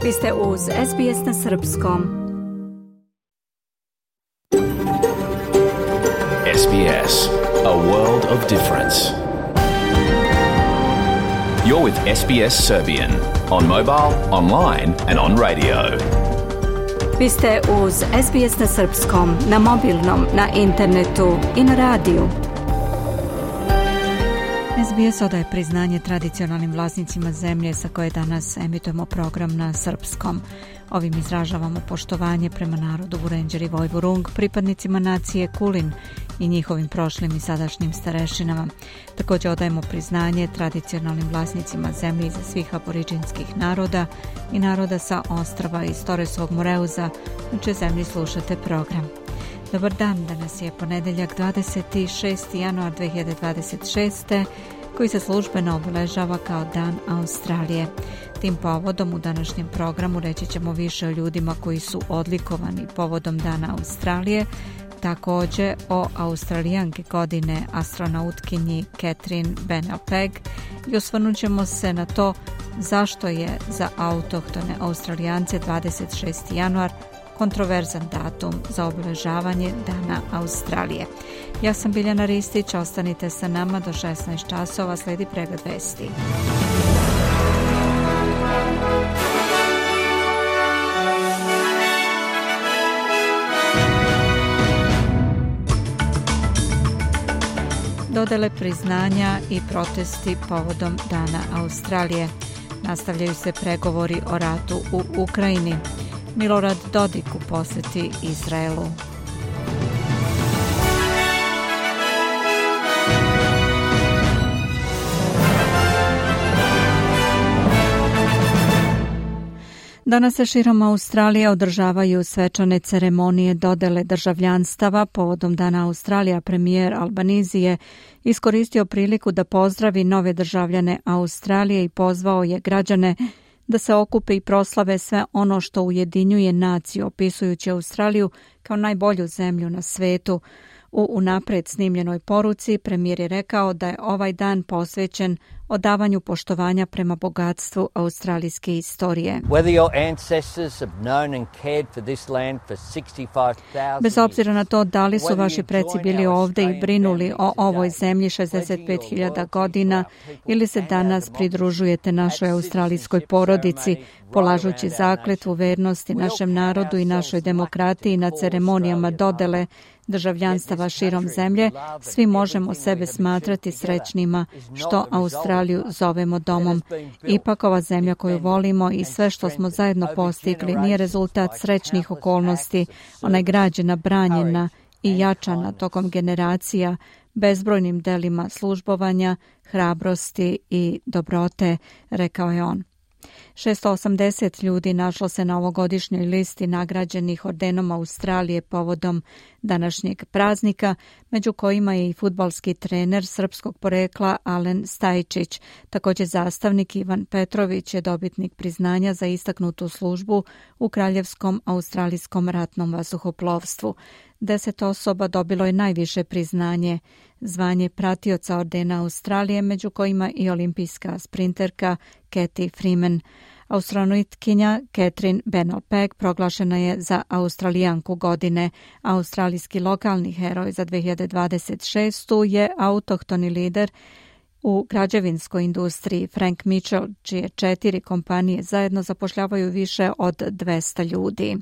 Vi ste uz SBS na srpskom. SBS, a world of difference. You're with SBS Serbian on mobile, online and on radio. Vi ste uz SBS na srpskom, na mobilnom, na internetu i na radiju. SBS odaje priznanje tradicionalnim vlasnicima zemlje sa koje danas emitujemo program na srpskom. Ovim izražavamo poštovanje prema narodu Vurenđeri Vojvurung, pripadnicima nacije Kulin i njihovim prošlim i sadašnjim starešinama. Također odajemo priznanje tradicionalnim vlasnicima zemlje za svih aboriđinskih naroda i naroda sa ostrava iz Toresovog Moreuza, na čijoj zemlji slušate program. Dobar dan, danas je ponedeljak 26. januar 2026. koji se službeno obeležava kao Dan Australije. Tim povodom u današnjem programu reći ćemo više o ljudima koji su odlikovani povodom Dana Australije, također o Australijanki godine astronautkinji Catherine Bennell-Pegg i osvrnut ćemo se na to zašto je za autohtone Australijance 26. januar kontroverzan datum za obeležavanje Dana Australije. Ja sam Biljana Ristić, ostanite sa nama do 16 časova, slijedi pregled vesti. Dodele priznanja i protesti povodom Dana Australije. Nastavljaju se pregovori o ratu u Ukrajini. Milorad Dodik u posjeti Izraelu. Danas se širom Australije održavaju svečane ceremonije dodele državljanstava. Povodom Dana Australija premijer Albanese je iskoristio priliku da pozdravi nove državljane Australije i pozvao je građane da se okupe i proslave sve ono što ujedinjuje naciju, opisujući Australiju kao najbolju zemlju na svetu. U unapred snimljenoj poruci premijer je rekao da je ovaj dan posvećen odavanju poštovanja prema bogatstvu australijske istorije. Bez obzira na to da li su vaši preci bili ovdje i brinuli o ovoj zemlji 65.000 godina ili se danas pridružujete našoj australijskoj porodici, polažući zakletvu vernosti našem narodu i našoj demokratiji na ceremonijama dodele državljanstava širom zemlje, svi možemo sebe smatrati srećnima što Australiju zovemo domom. Ipak ova zemlja koju volimo i sve što smo zajedno postigli nije rezultat srećnih okolnosti, ona je građena, branjena i jačana tokom generacija bezbrojnim delima službovanja, hrabrosti i dobrote, rekao je on. 680 ljudi našlo se na ovogodišnjoj listi nagrađenih ordenom Australije povodom današnjeg praznika, među kojima je i fudbalski trener srpskog porekla Alen Stajčić. Također zastavnik Ivan Petrović je dobitnik priznanja za istaknutu službu u Kraljevskom australijskom ratnom vazduhoplovstvu. 10 osoba dobilo je najviše priznanje, zvanje pratioca ordena Australije, među kojima i olimpijska sprinterka Cathy Freeman. Astronautkinja Catherine Bennell-Pegg proglašena je za Australijanku godine. Australijski lokalni heroj za 2026. je autohtoni lider u građevinskoj industriji Frank Mitchell, čije 4 kompanije zajedno zapošljavaju više od 200 ljudi.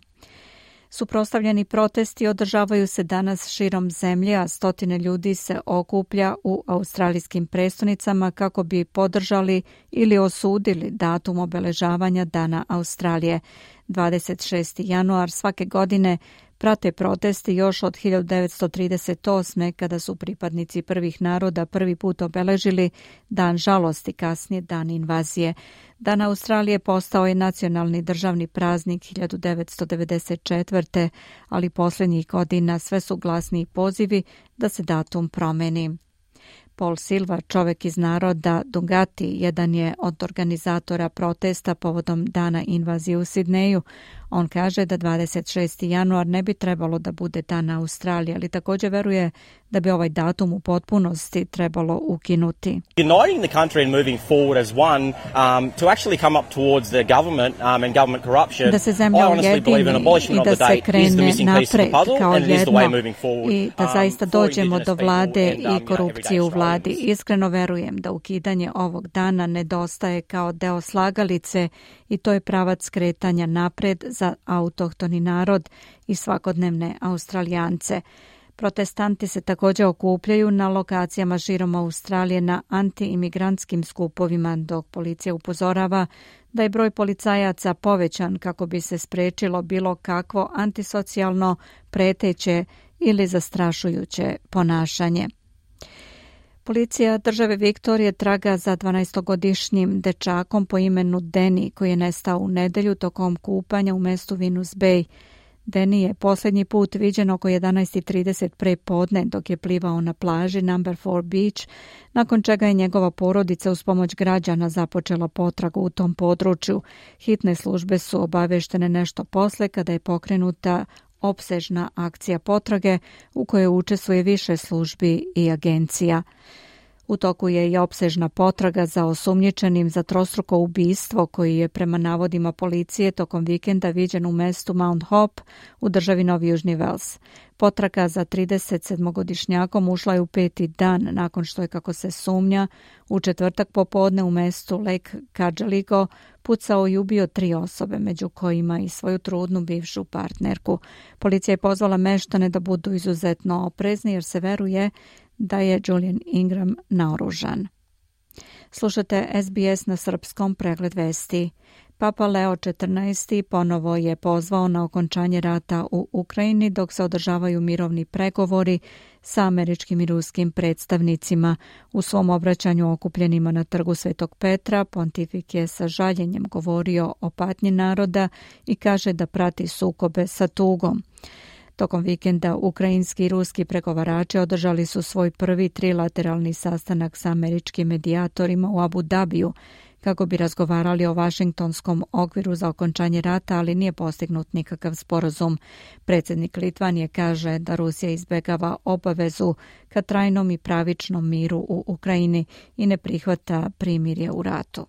Suprotstavljeni protesti održavaju se danas širom zemlje, a stotine ljudi se okuplja u australijskim prestonicama kako bi podržali ili osudili datum obeležavanja Dana Australije. 26. januar svake godine prate protesti još od 1938. kada su pripadnici prvih naroda prvi put obeležili Dan žalosti, kasnije Dan invazije. Dan Australije postao je nacionalni državni praznik 1994. ali posljednjih godina sve su glasniji pozivi da se datum promeni. Paul Silva, čovjek iz naroda Dungati, jedan je od organizatora protesta povodom Dana invazije u Sidneju. On kaže da 26. januar ne bi trebalo da bude dan Australije, ali također veruje da bi ovaj datum u potpunosti trebalo ukinuti. Uniting the country and moving forward as one to actually come up towards the government and government corruption. Da se zemlja ujedini i da se krene napred kao jedno i da zaista dođemo do vlade i korupcije u vladi. Iskreno verujem da ukidanje ovog dana nedostaje kao deo slagalice i to je pravac kretanja napred za autohtoni narod i svakodnevne Australijance. Protestanti se također okupljaju na lokacijama širom Australije na anti-imigrantskim skupovima, dok policija upozorava da je broj policajaca povećan kako bi se spriječilo bilo kakvo antisocijalno, preteće ili zastrašujuće ponašanje. Policija države Viktorije traga za 12-godišnjim dečakom po imenu Danny koji je nestao u nedjelju tokom kupanja u mjestu Venus Bay. Danny je posljednji put viđen oko 11:30 prepodne dok je plivao na plaži Number 4 Beach, nakon čega je njegova porodica uz pomoć građana započela potragu u tom području. Hitne službe su obaveštene nešto posle kada je pokrenuta opsežna akcija potrage u kojoj učestvuje više službi i agencija. U toku je i opsežna potraga za osumnjičenim za trostruko ubistvo koji je prema navodima policije tokom vikenda viđen u mestu Mount Hope u državi Novi Južni Vels. Potraga za 37-godišnjakom ušla je u 5. dan nakon što je, kako se sumnja, u četvrtak popodne u mestu Lake Cajaligo pucao i ubio 3 osobe, među kojima i svoju trudnu bivšu partnerku. Policija je pozvala meštane da budu izuzetno oprezni jer se veruje da je Julian Ingram naoružan. Slušate SBS na srpskom, pregled vesti. Papa Leo XIV ponovo je pozvao na okončanje rata u Ukrajini dok se održavaju mirovni pregovori sa američkim i ruskim predstavnicima. U svom obraćanju okupljenima na trgu Svetog Petra, pontifik je sa žaljenjem govorio o patnji naroda i kaže da prati sukobe sa tugom. Tokom vikenda ukrajinski i ruski pregovarači održali su svoj prvi trilateralni sastanak sa američkim medijatorima u Abu Dabiju kako bi razgovarali o Vašingtonskom okviru za okončanje rata, ali nije postignut nikakav sporazum. Predsjednik Litvanije kaže da Rusija izbjegava obavezu ka trajnom i pravičnom miru u Ukrajini i ne prihvata primirje u ratu.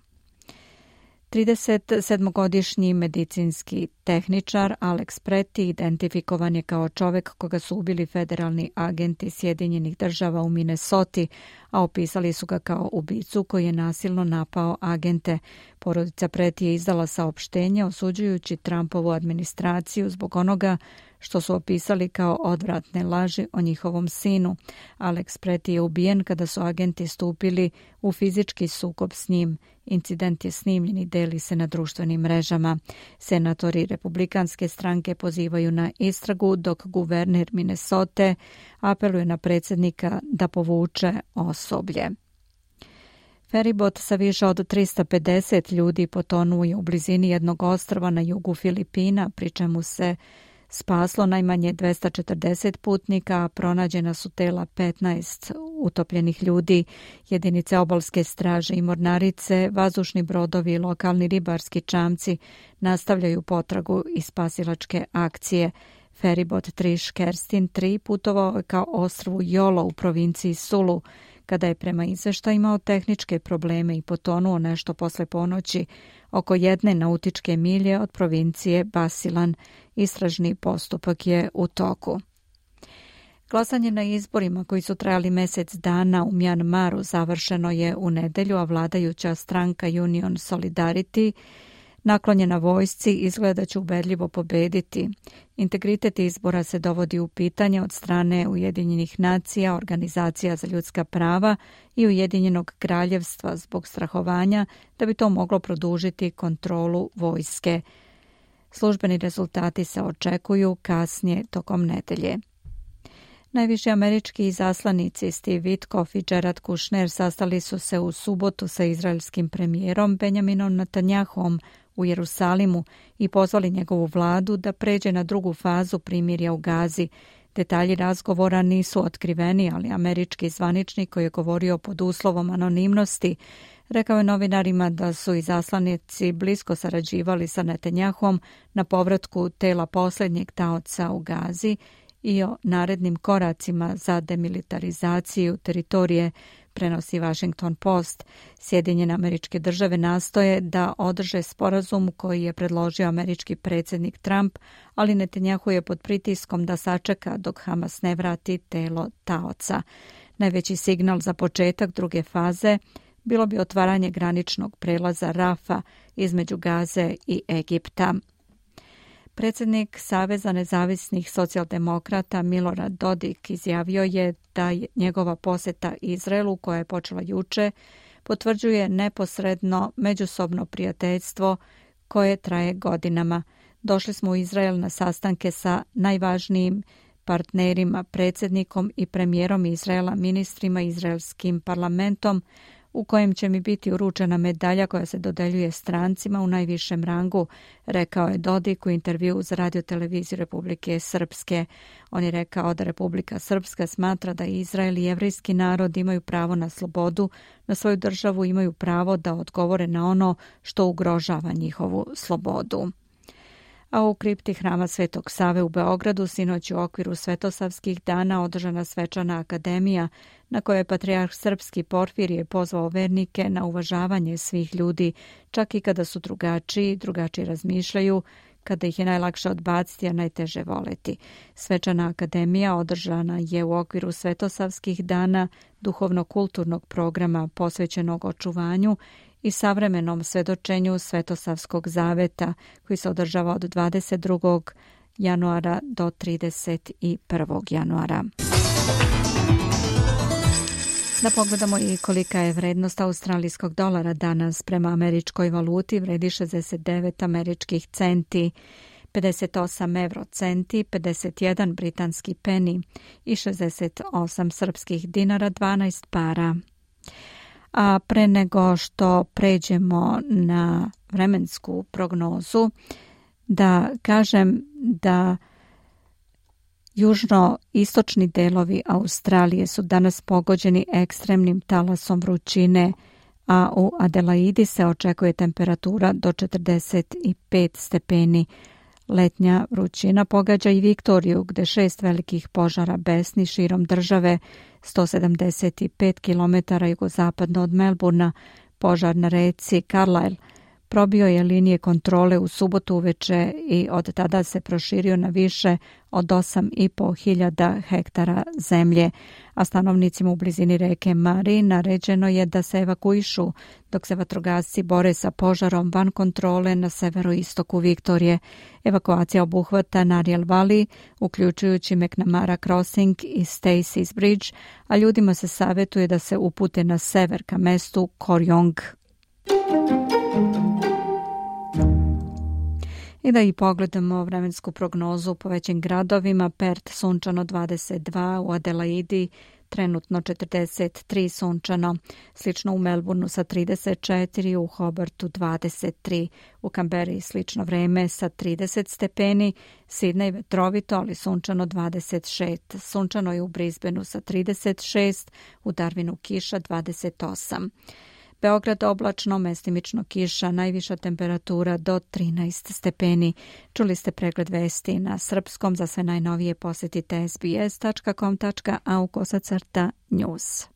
37-godišnji medicinski tehničar Alex Preti identifikovan je kao čovjek koga su ubili federalni agenti Sjedinjenih država u Minnesoti, a opisali su ga kao ubicu koji je nasilno napao agente. Porodica Preti je izdala saopštenje osuđujući Trumpovu administraciju zbog onoga što su opisali kao odvratne laži o njihovom sinu. Alex Preti je ubijen kada su agenti stupili u fizički sukob s njim. Incident je snimljen i deli se na društvenim mrežama. Senatori Republikanske stranke pozivaju na istragu, dok guverner Minnesote apeluje na predsjednika da povuče osoblje. Feribot sa više od 350 ljudi potonuo je u blizini jednog ostrva na jugu Filipina, pri čemu se spaslo najmanje 240 putnika, a pronađena su tela 15 utopljenih ljudi. Jedinice obalske straže i mornarice, vazdušni brodovi i lokalni ribarski čamci nastavljaju potragu i spasilačke akcije. Feribot Trish Kerstin 3 putovao ka ostrvu Jolo u provinciji Sulu, kada je prema izveštajima imao tehničke probleme i potonuo nešto posle ponoći oko 1 nautičke milje od provincije Basilan. Istražni postupak je u toku. Glasanje na izborima koji su trajali mjesec dana u Mjanmaru završeno je u nedjelju, a vladajuća stranka Union Solidarity naklonjena vojsci izgleda će ubedljivo pobediti. Integritet izbora se dovodi u pitanje od strane Ujedinjenih nacija, organizacija za ljudska prava i Ujedinjenog kraljevstva zbog strahovanja da bi to moglo produžiti kontrolu vojske. Službeni rezultati se očekuju kasnije tokom nedelje. Najviši američki izaslanici Steve Witkoff i Jared Kushner sastali su se u subotu sa izraelskim premijerom Benjaminom Netanjahom u Jerusalimu i pozvali njegovu vladu da pređe na drugu fazu primirja u Gazi. Detalji razgovora nisu otkriveni, ali američki zvaničnik koji je govorio pod uslovom anonimnosti Rekao je novinarima da su izaslanici blisko sarađivali sa Netanjahom na povratku tela posljednjeg taoca u Gazi i o narednim koracima za demilitarizaciju teritorije, prenosi Washington Post. Sjedinjene Američke Države nastoje da održe sporazum koji je predložio američki predsjednik Trump, ali Netanjahu je pod pritiskom da sačeka dok Hamas ne vrati telo taoca. Najveći signal za početak druge faze bilo bi otvaranje graničnog prelaza Rafa između Gaze i Egipta. Predsjednik Saveza nezavisnih socijaldemokrata Milorad Dodik izjavio je da njegova posjeta Izraelu, koja je počela juče, potvrđuje neposredno međusobno prijateljstvo koje traje godinama. Došli smo u Izrael na sastanke sa najvažnijim partnerima, predsjednikom i premijerom Izraela, ministrima, izraelskim parlamentom, u kojem će mi biti uručena medalja koja se dodeljuje strancima u najvišem rangu, rekao je Dodik u intervjuu za radioteleviziju Republike Srpske. On je rekao da Republika Srpska smatra da Izrael i jevrijski narod imaju pravo na slobodu, na svoju državu, imaju pravo da odgovore na ono što ugrožava njihovu slobodu. A u kripti Hrama Svetog Save u Beogradu sinoć u okviru Svetosavskih dana održana svečana akademija na kojoj je patrijarh srpski Porfirije pozvao vernike na uvažavanje svih ljudi, čak i kada su drugačiji razmišljaju, kada ih je najlakše odbaciti, a najteže voleti. Svečana akademija održana je u okviru Svetosavskih dana duhovno-kulturnog programa posvećenog očuvanju i savremenom svedočenju Svetosavskog zaveta koji se održava od 22. januara do 31. januara. Da pogledamo i kolika je vrednost australijskog dolara danas. Prema američkoj valuti vredi 69 američkih centi, 58 eurocenti, 51 britanski peni i 68 srpskih dinara, 12 para. A pre nego što pređemo na vremensku prognozu, da kažem da južno-istočni delovi Australije su danas pogođeni ekstremnim talasom vrućine, a u Adelaidi se očekuje temperatura do 45 stepeni. Letnja vrućina pogađa i Viktoriju, gde 6 velikih požara besni širom države, 175 km jugozapadno od Melburna. Požar na reci Carlisle probio je linije kontrole u subotu uveče i od tada se proširio na više od 8.500 hektara zemlje, a stanovnicima u blizini reke Mari naređeno je da se evakuišu dok se vatrogasci bore sa požarom van kontrole na severoistoku Viktorije. Evakuacija obuhvata Nariel Valley, uključujući McNamara Crossing i Stacey's Bridge, a ljudima se savjetuje da se upute na sever ka mestu Koryong. I da i pogledamo vremensku prognozu po većim gradovima. Perth sunčano 22, u Adelaidi trenutno 43 sunčano, slično u Melbourneu sa 34, u Hobartu 23, u Canberri slično vreme sa 30 stepeni, Sidney vetrovito ali sunčano 26, sunčano je u Brisbaneu sa 36, u Darwinu kiša 28. Beograd oblačno, mestimično kiša, najviša temperatura do 13 stepeni. Čuli ste pregled vesti na srpskom. Za sve najnovije posjetite sbs.com.au/news.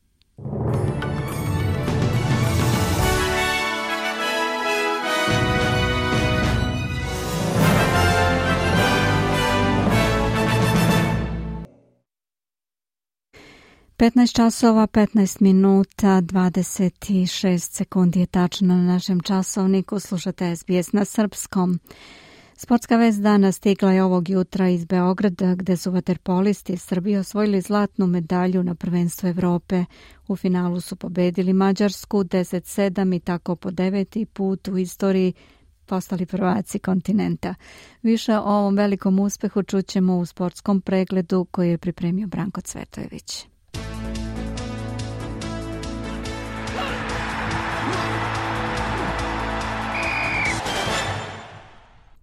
15 časova, 15 minuta, 26 sekundi je tačno na našem časovniku. Slušate SBS na srpskom. Sportska vest dana stigla je ovog jutra iz Beograda, gde su vaterpolisti Srbije osvojili zlatnu medalju na prvenstvu Evrope. U finalu su pobedili Mađarsku 10-7 i tako po 9. put u istoriji postali prvaci kontinenta. Više o ovom velikom uspehu čućemo u sportskom pregledu koji je pripremio Branko Cvetojević.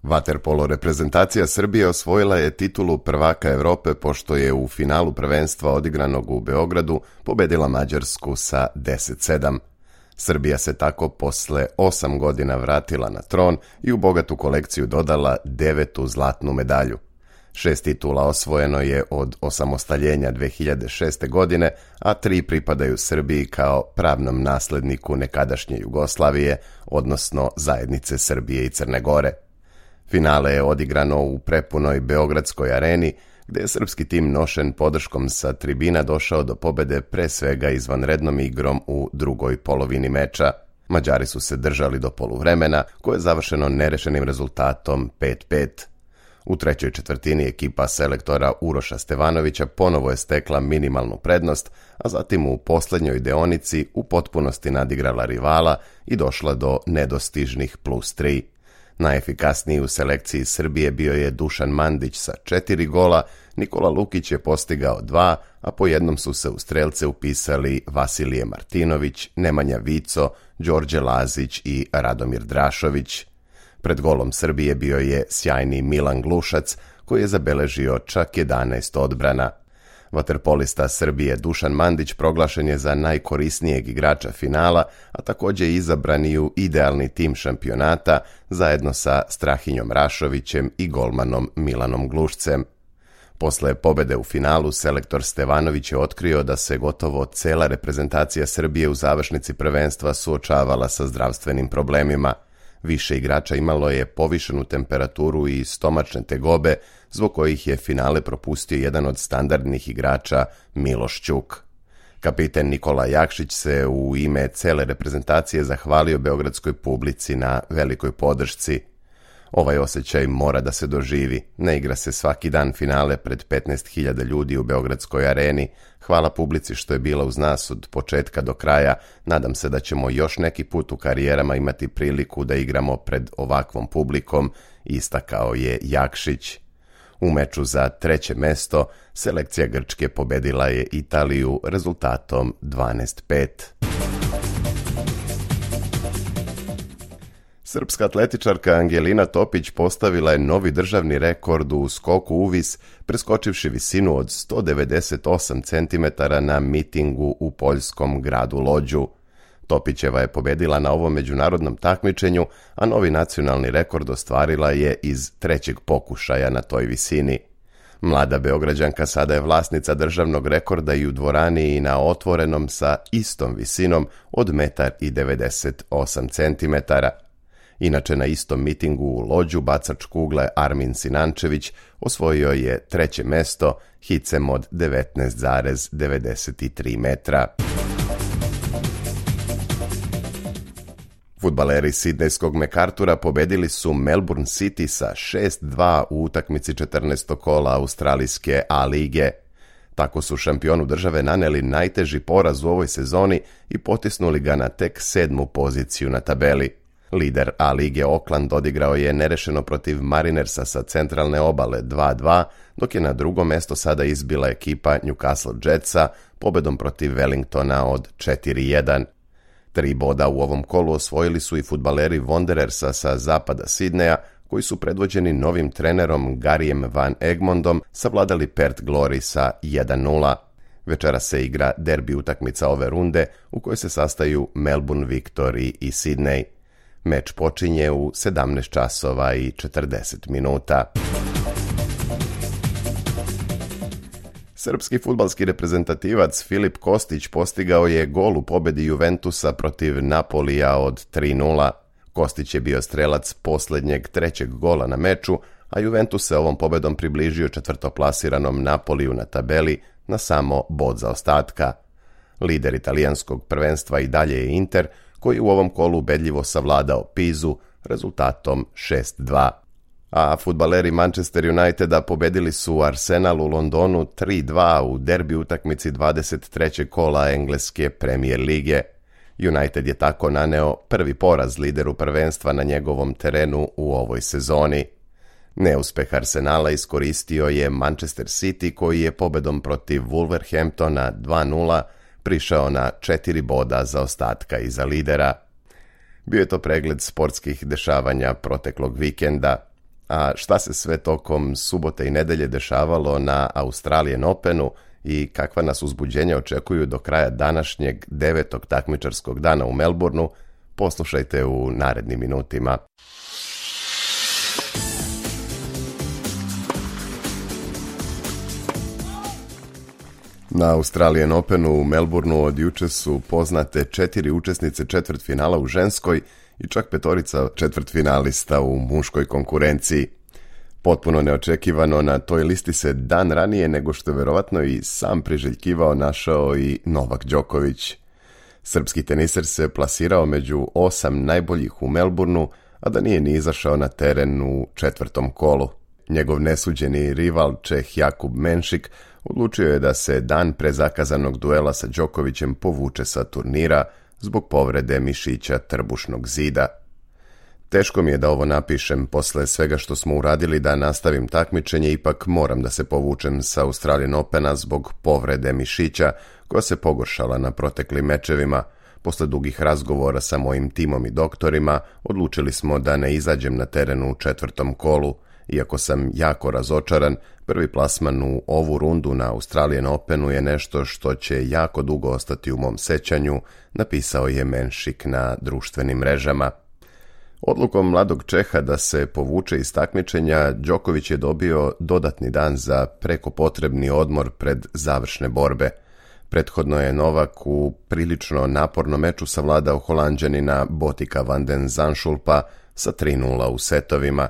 Vaterpolo reprezentacija Srbije osvojila je titulu prvaka Evrope pošto je u finalu prvenstva odigranog u Beogradu pobedila Mađarsku sa 10-7. Srbija se tako posle 8 godina vratila na tron i u bogatu kolekciju dodala 9. zlatnu medalju. 6 titula osvojeno je od osamostaljenja 2006. godine, a 3 pripadaju Srbiji kao pravnom nasledniku nekadašnje Jugoslavije, odnosno zajednice Srbije i Crne Gore. Finale je odigrano u prepunoj Beogradskoj areni, gde je srpski tim nošen podrškom sa tribina došao do pobede pre svega izvanrednom igrom u drugoj polovini meča. Mađari su se držali do poluvremena, koje je završeno nerešenim rezultatom 5-5. U trećoj četvrtini ekipa selektora Uroša Stevanovića ponovo je stekla minimalnu prednost, a zatim u poslednjoj deonici u potpunosti nadigrala rivala i došla do nedostižnih +3. Najefikasniji u selekciji Srbije bio je Dušan Mandić sa 4 gola, Nikola Lukić je postigao 2, a po jednom su se u strelce upisali Vasilije Martinović, Nemanja Vico, Đorđe Lazić i Radomir Drašović. Pred golom Srbije bio je sjajni Milan Glušac, koji je zabeležio čak 11 odbrana. Vaterpolista Srbije Dušan Mandić proglašen je za najkorisnijeg igrača finala, a također izabran i u idealni tim šampionata zajedno sa Strahinjom Rašovićem i golmanom Milanom Glušcem. Posle pobede u finalu, selektor Stevanović je otkrio da se gotovo cela reprezentacija Srbije u završnici prvenstva suočavala sa zdravstvenim problemima. Više igrača imalo je povišenu temperaturu i stomačne tegobe, zbog kojih je finale propustio jedan od standardnih igrača, Miloš Ćuk. Kapiten Nikola Jakšić se u ime cele reprezentacije zahvalio beogradskoj publici na velikoj podršci. Ovaj osjećaj mora da se doživi. Ne igra se svaki dan finale pred 15.000 ljudi u Beogradskoj areni. Hvala publici što je bila uz nas od početka do kraja. Nadam se da ćemo još neki put u karijerama imati priliku da igramo pred ovakvom publikom, istakao je Jakšić. U meču za 3. mesto selekcija Grčke pobedila je Italiju rezultatom 12-5. Srpska atletičarka Angelina Topić postavila je novi državni rekord u skoku uvis, preskočivši visinu od 198 cm na mitingu u poljskom gradu Lođu. Topićeva je pobedila na ovom međunarodnom takmičenju, a novi nacionalni rekord ostvarila je iz 3. pokušaja na toj visini. Mlada Beograđanka sada je vlasnica državnog rekorda i u dvorani i na otvorenom sa istom visinom od 1,98 cm. Inače, na istom mitingu u Lođu bacač kugle Armin Sinančević osvojio je 3. mesto hicem od 19,93 metra. Fudbaleri sidnejskog MacArthura pobedili su Melbourne City sa 6-2 u utakmici 14. kola australijske A lige. Tako su šampionu države naneli najteži poraz u ovoj sezoni i potisnuli ga na tek 7. poziciju na tabeli. Lider A lige Auckland odigrao je nerešeno protiv Marinersa sa centralne obale 2-2, dok je na drugo mesto sada izbila ekipa Newcastle Jetsa pobedom protiv Wellingtona od 4-1. 3 boda u ovom kolu osvojili su i fudbaleri Wanderersa sa zapada Sidneja, koji su predvođeni novim trenerom Garyjem Van Egmondom savladali Perth Glory sa 1-0. Večera se igra derbi utakmica ove runde u kojoj se sastaju Melbourne Victory i Sydney. Meč počinje u 17 časova i 40 minuta. Srpski fudbalski reprezentativac Filip Kostić postigao je gol u pobedi Juventusa protiv Napolija od 3-0. Kostić je bio strelac posljednjeg 3. gola na meču, a Juventus se ovom pobedom približio četvrtoplasiranom Napoliju na tabeli na samo bod zaostatka. Lider italijanskog prvenstva i dalje je Inter, koji u ovom kolu ubedljivo savladao Pizu rezultatom 6-2. A fudbaleri Manchester Uniteda pobedili su Arsenal u Londonu 3-2 u derbi utakmici 23. kola engleske Premier lige. United je tako naneo prvi poraz lideru prvenstva na njegovom terenu u ovoj sezoni. Neuspeh Arsenala iskoristio je Manchester City, koji je pobedom protiv Wolverhamptona 2-0 prišao na 4 boda zaostatka iza lidera. Bio je to pregled sportskih dešavanja proteklog vikenda. A šta se sve tokom subote i nedelje dešavalo na Australian Openu, i kakva nas uzbuđenja očekuju do kraja današnjeg 9. takmičarskog dana u Melbourneu, poslušajte u narednim minutima. Na Australian Openu u Melbourneu od juče su poznate 4 učesnice četvrtfinala u ženskoj i čak 5 četvrtfinalista u muškoj konkurenciji. Potpuno neočekivano na toj listi se dan ranije nego što je verovatno i sam priželjkivao našao i Novak Đoković. Srpski teniser se plasirao među 8 najboljih u Melbourneu, a da nije ni izašao na teren u 4. kolu. Njegov nesuđeni rival Čeh Jakub Menšik odlučio je da se dan pre zakazanog duela sa Đokovićem povuče sa turnira zbog povrede mišića trbušnog zida. Teško mi je da ovo napišem, posle svega što smo uradili da nastavim takmičenje, ipak moram da se povučem sa Australian Opena zbog povrede mišića koja se pogoršala na proteklim mečevima. Posle dugih razgovora sa mojim timom i doktorima odlučili smo da ne izađem na terenu u 4. kolu. Iako sam jako razočaran, prvi plasman u ovu rundu na Australian Openu je nešto što će jako dugo ostati u mom sećanju, napisao je Menšik na društvenim mrežama. Odlukom mladog Čeha da se povuče iz takmičenja, Đoković je dobio dodatni dan za preko potrebni odmor pred završne borbe. Prethodno je Novak u prilično napornom meču savladao Holanđanina Botika van den Zandschulpa sa 3:0 u setovima.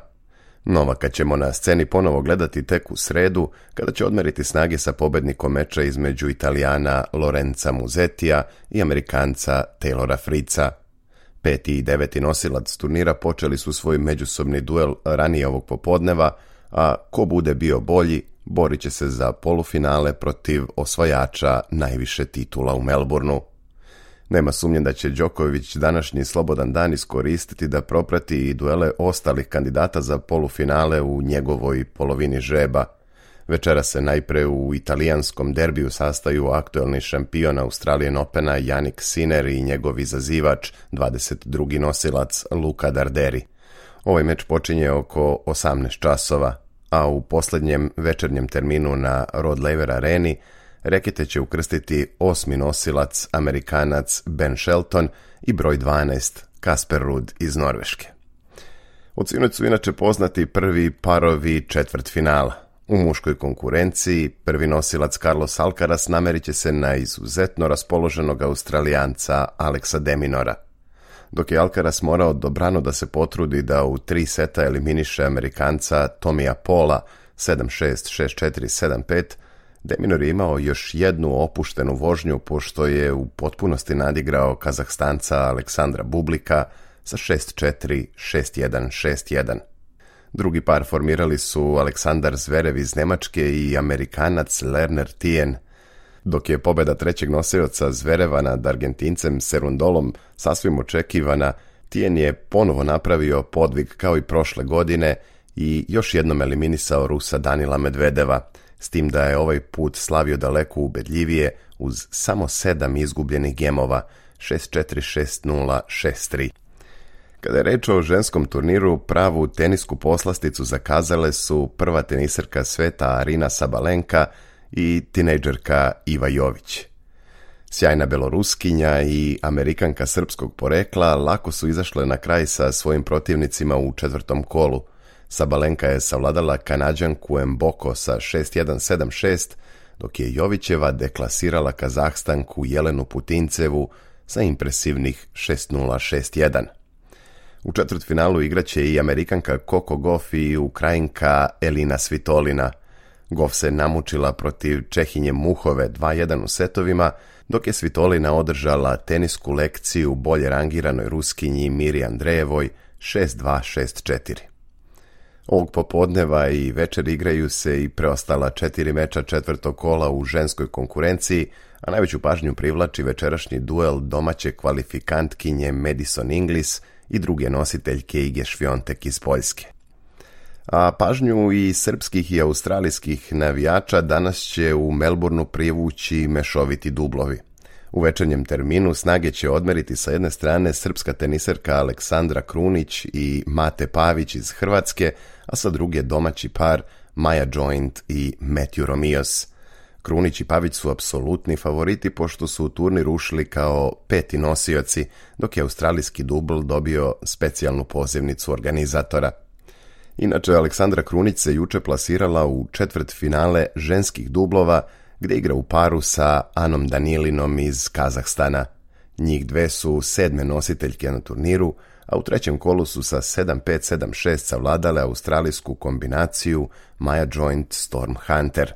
Novaka ćemo na sceni ponovo gledati tek u sredu, kada će odmeriti snage sa pobednikom meča između Italijana Lorenza Musettija i Amerikanca Taylora Fritza. 5. i 9. nosilac turnira počeli su svoj međusobni duel ranije ovog popodneva, a ko bude bio bolji, borit će se za polufinale protiv osvajača najviše titula u Melbourneu. Nema sumnje da će Đoković današnji slobodan dan iskoristiti da proprati i duele ostalih kandidata za polufinale u njegovoj polovini žreba. Večera se najpre u italijanskom derbiju sastaju aktuelni šampion Australian Opena Jannik Sinner i njegov izazivač, 22. nosilac Luca Darderi. Ovaj meč počinje oko 18 časova, a u posljednjem večernjem terminu na Rod Laver Areni rekete će ukrstiti 8. nosilac Amerikanac Ben Shelton i broj 12 Kasper Ruud iz Norveške. Od sinoć su inače poznati prvi parovi četvrtfinala. U muškoj konkurenciji prvi nosilac Carlos Alcaraz namerit će se na izuzetno raspoloženog Australijanca Alexa de Minaura. Dok je Alcaraz morao dobrano da se potrudi da u 3 seta eliminiše Amerikanca Tomija Paula 7-6, 6-4, 7-5, de Minaur je imao još jednu opuštenu vožnju pošto je u potpunosti nadigrao Kazahstanca Aleksandra Bublika sa 6-4, 6-1, 6-1. Drugi par formirali su Aleksandar Zverev iz Nemačke i Amerikanac Lerner Tien. Dok je pobjeda trećeg nosioca Zvereva nad Argentincem Serundolom sasvim očekivana, Tien je ponovo napravio podvig kao i prošle godine i još jednom eliminisao Rusa Danila Medvedeva, s tim da je ovaj put slavio daleko ubedljivije uz samo 7 izgubljenih gemova, 6-4, 6-0, 6-3. Kada je reč o ženskom turniru, pravu tenisku poslasticu zakazale su prva teniserka sveta Arina Sabalenka i tinejdžerka Iva Jović. Sjajna Beloruskinja i Amerikanka srpskog porekla lako su izašle na kraj sa svojim protivnicima u 4. kolu. Sabalenka je savladala Kanađanku Mboko sa 6-1, 7-6, dok je Jovićeva deklasirala Kazahstanku Jelenu Putincevu sa impresivnih 6-0, 6-1. U četvrtfinalu igraće i Amerikanka Coco Gauff i Ukrajinka Elina Svitolina. Gauff se namučila protiv Čehinje Muhove 2-1 u setovima, dok je Svitolina održala tenisku lekciju bolje rangiranoj Ruskinji Miri Andrejevoj 6-2, 6-4. Ovog popodneva i večer igraju se i preostala 4 meča 4. kola u ženskoj konkurenciji, a najveću pažnju privlači večerašnji duel domaće kvalifikantkinje Madison Inglis i druge nositeljke Ige Šviontek iz Poljske. A pažnju i srpskih i australijskih navijača danas će u Melbourneu privući mešoviti dublovi. U večernjem terminu snage će odmeriti sa jedne strane srpska teniserka Aleksandra Krunić i Mate Pavić iz Hrvatske, a sa druge domaći par Maja Joint i Matthew Romios. Krunić i Pavić su apsolutni favoriti pošto su u turnir ušli kao 5. nosioci, dok je australijski dubl dobio specijalnu pozivnicu organizatora. Inače, Aleksandra Krunić se juče plasirala u četvrtfinale ženskih dublova, gdje igra u paru sa Anom Danilinom iz Kazahstana. Njih dve su 7. nositeljke na turniru, a u trećem kolu su sa 7-5, 7-6 savladale australijsku kombinaciju Maja Joint Storm Hunter.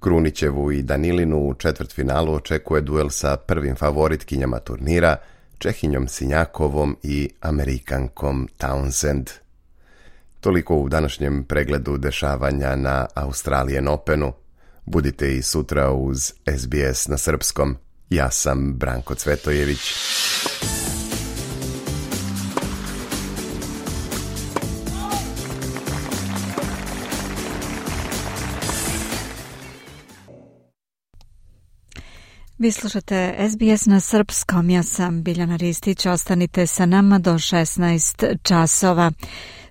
Krunićevu i Danilinu u četvrtfinalu očekuje duel sa prvim favoritkinjama turnira, Čehinjom Sinjakovom i Amerikankom Townsend. Toliko u današnjem pregledu dešavanja na Australian Openu. Budite i sutra uz SBS na srpskom. Ja sam Branko Cvetojević. Vi slušate SBS na srpskom, ja sam Biljana Ristić, ostanite sa nama do 16 časova.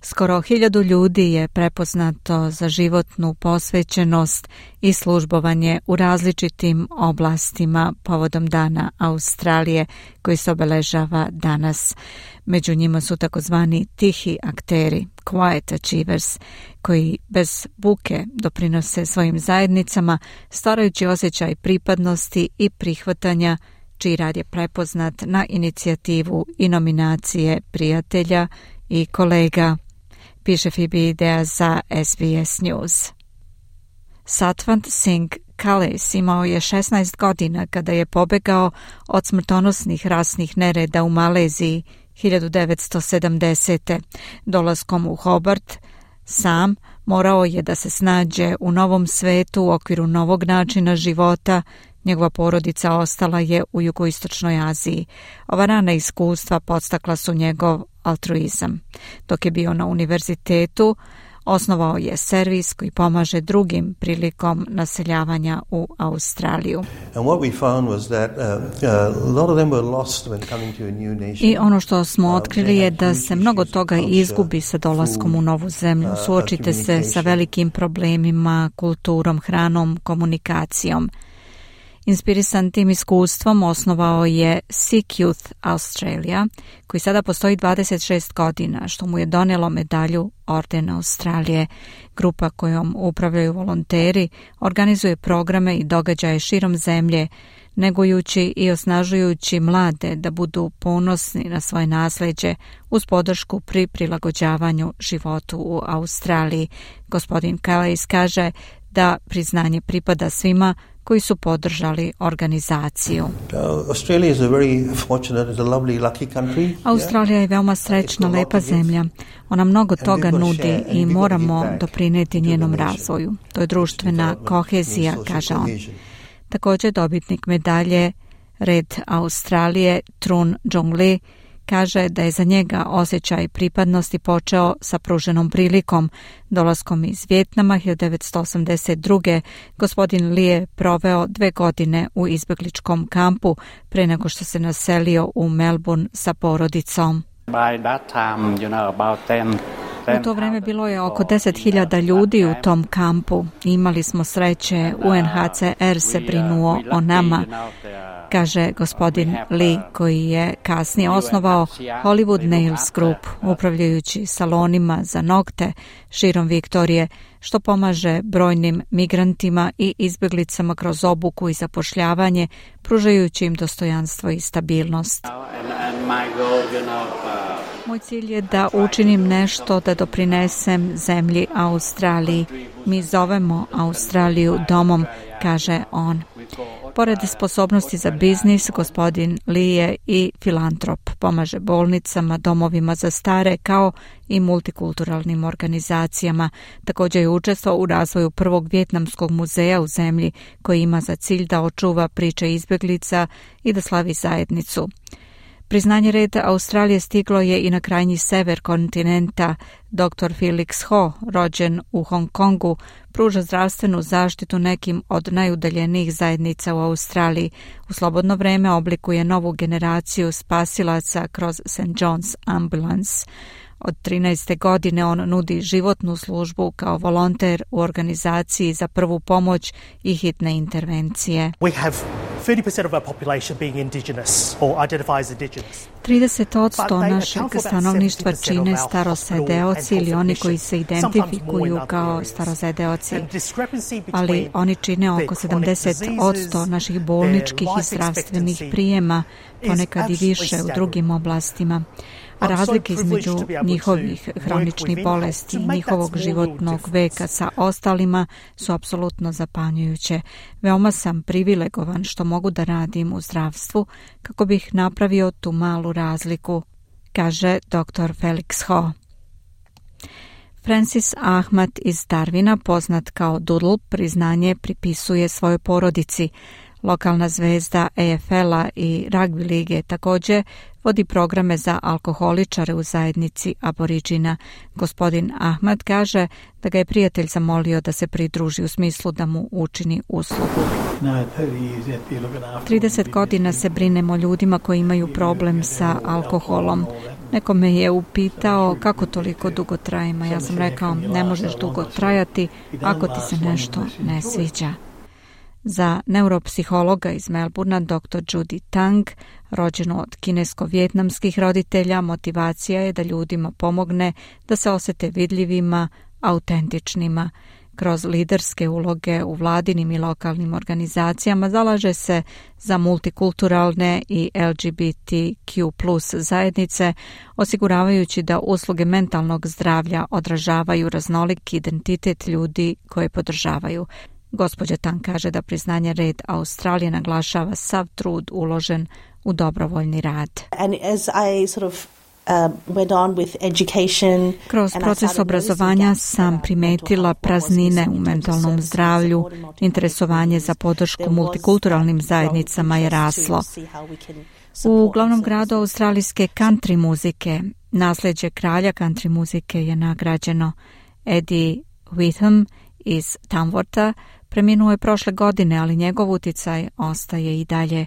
Skoro 1000 ljudi je prepoznato za životnu posvećenost i službovanje u različitim oblastima povodom Dana Australije koji se obeležava danas. Među njima su takozvani tihi akteri, quiet achievers, koji bez buke doprinose svojim zajednicama, stvarajući osjećaj pripadnosti i prihvatanja, čiji rad je prepoznat na inicijativu i nominacije prijatelja i kolega, piše Phoebe Idea za SBS News. Satwant Singh Kales imao je 16 godina kada je pobegao od smrtonosnih rasnih nereda u Maleziji 1970. Dolaskom u Hobart sam morao je da se snađe u novom svetu u okviru novog načina života. Njegova porodica ostala je u jugoistočnoj Aziji. Ova rana iskustva podstakla su njegov altruizam. Dok je bio na univerzitetu, osnovao je servis koji pomaže drugim prilikom naseljavanja u Australiju. I ono što smo otkrili je da se mnogo toga izgubi sa dolaskom u novu zemlju. Suočite se sa velikim problemima, kulturom, hranom, komunikacijom. Inspirisan tim iskustvom osnovao je Sikh Youth Australia, koji sada postoji 26 godina, što mu je donijelo medalju Orden Australije. Grupa kojom upravljaju volonteri organizuje programe i događaje širom zemlje, negujući i osnažujući mlade da budu ponosni na svoje nasleđe uz podršku pri prilagođavanju životu u Australiji. Gospodin Calais kaže da priznanje pripada svima koji su podržali organizaciju. Australija je veoma srećna, lepa zemlja. Ona mnogo toga nudi i moramo doprinijeti njenom razvoju. To je društvena kohezija, kaže on. Također dobitnik medalje Red Australije Trun Jong Lee kaže da je za njega osjećaj pripadnosti počeo sa pruženom prilikom. Dolaskom iz Vijetnama 1982. gospodin Lee je proveo 2 godine u izbjegličkom kampu pre nego što se naselio u Melbourne sa porodicom. U to vrijeme bilo je oko 10.000 ljudi u tom kampu. Imali smo sreće, UNHCR se brinuo o nama, kaže gospodin Lee, koji je kasnije osnovao Hollywood Nails Group, upravljajući salonima za nokte širom Viktorije, što pomaže brojnim migrantima i izbjeglicama kroz obuku i zapošljavanje, pružajući im dostojanstvo i stabilnost. Moj cilj je da učinim nešto da doprinesem zemlji Australiji. Mi zovemo Australiju domom, kaže on. Pored sposobnosti za biznis, gospodin Lee je i filantrop. Pomaže bolnicama, domovima za stare, kao i multikulturalnim organizacijama. Također je učestvovao u razvoju prvog vijetnamskog muzeja u zemlji, koji ima za cilj da očuva priče izbjeglica i da slavi zajednicu. Priznanje Reda Australije stiglo je i na krajnji sever kontinenta. Dr. Felix Ho, rođen u Hong Kongu, pruža zdravstvenu zaštitu nekim od najudaljenijih zajednica u Australiji. U slobodno vrijeme oblikuje novu generaciju spasilaca kroz St. John's Ambulance. Od 13. godine on nudi životnu službu kao volonter u organizaciji za prvu pomoć i hitne intervencije. 30% našeg stanovništva čine starosedeoci ili oni koji se identifikuju kao starosedeoci, ali oni čine oko 70% naših bolničkih i zdravstvenih prijema, ponekad i više u drugim oblastima. A razlike između njihovih hroničnih bolesti i njihovog životnog veka sa ostalima su apsolutno zapanjujuće. Veoma sam privilegovan što mogu da radim u zdravstvu kako bih napravio tu malu razliku, kaže dr. Felix Ho. Francis Ahmad iz Darwina, poznat kao Doodle, priznanje pripisuje svojoj porodici. Lokalna zvezda EFL-a i ragbi lige također vodi programe za alkoholičare u zajednici aboriđina. Gospodin Ahmad kaže da ga je prijatelj zamolio da se pridruži u smislu da mu učini uslugu. 30 godina se brinemo ljudima koji imaju problem sa alkoholom. Neko me je upitao kako toliko dugo trajimo. Ja sam rekao, ne možeš dugo trajati ako ti se nešto ne sviđa. Za neuropsihologa iz Melbourna, dr. Judy Tang, rođenu od kinesko-vjetnamskih roditelja, motivacija je da ljudima pomogne da se osjete vidljivima, autentičnima. Kroz liderske uloge u vladinim i lokalnim organizacijama zalaže se za multikulturalne i LGBTQ+ zajednice, osiguravajući da usluge mentalnog zdravlja odražavaju raznolik identitet ljudi koje podržavaju. Gospođa Tan kaže da priznanje Red Australije naglašava sav trud uložen u dobrovoljni rad. Kroz proces obrazovanja sam primetila praznine u mentalnom zdravlju. Interesovanje za podršku multikulturalnim zajednicama je raslo. U glavnom gradu australijske country muzike, nasljeđe kralja country muzike je nagrađeno. Eddie Witham iz Tamwortha preminuo je prošle godine, ali njegov uticaj ostaje i dalje.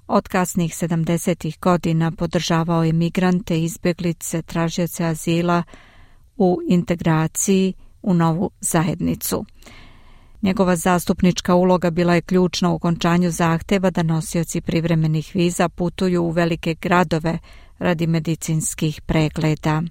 Od kasnih 70. godina podržavao je migrante, izbjeglice, tražioce azila u integraciji u novu zajednicu. Njegova zastupnička uloga bila je ključna u okončanju zahteva da nosioci privremenih viza putuju u velike gradove radi medicinskih pregleda.